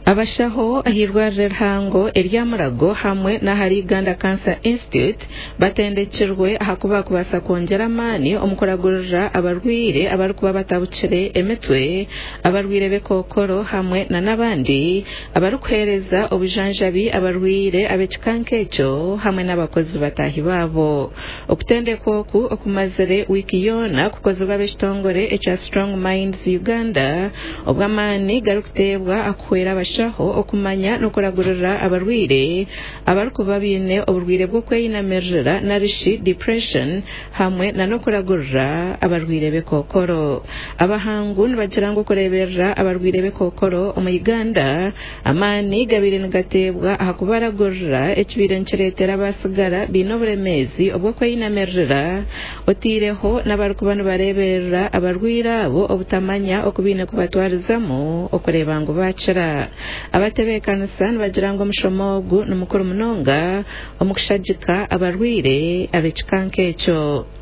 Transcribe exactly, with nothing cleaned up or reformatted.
Abashaho ah'eirwariro rihango erya Mulago hamwe n'ahari Uganda Cancer Institute batendekirwe ahakuba kubaasa kwongyera amaani omu kuragurira abarwaire abarikuba batabukire emitwe, abarwaire b'ekookoro hamwe n'abandi abarikuheereza obujanjabi abarwaire ab'ekika nk'ekyo hamwe n'abakozi bataahi baabo. Okutendekwa oku okumazire wiiki yoona kukozirwe ab'ekitongore ekya Strong Minds Uganda obwo amaani garikuteebwa aha kuhwera abashaho okumanya n'okuragurira abarwaire abarikuba baine oburwaire bw'okweyinamirira narishi depression hamwe n'okuragurira abarwaire b'ekookoro. Abahangu nibagira ngu okureeberera abarwaire b'ekookoro omu Uganda amaani gabaire nigateebwa aha kubaragurira ekibaire nikireetera abasigara baine oburemeezi obw'okweyinamirira oteireho n'abarikuba nibareeberera abarwaire abo obutamanya oku baine kubatwarizamu okureeba ngu baakira. Abatebeekanisa nibagira ngu omushomo ogu ni mukuru munonga omu kushagika abarwaire ab'ekika nk'ekyo.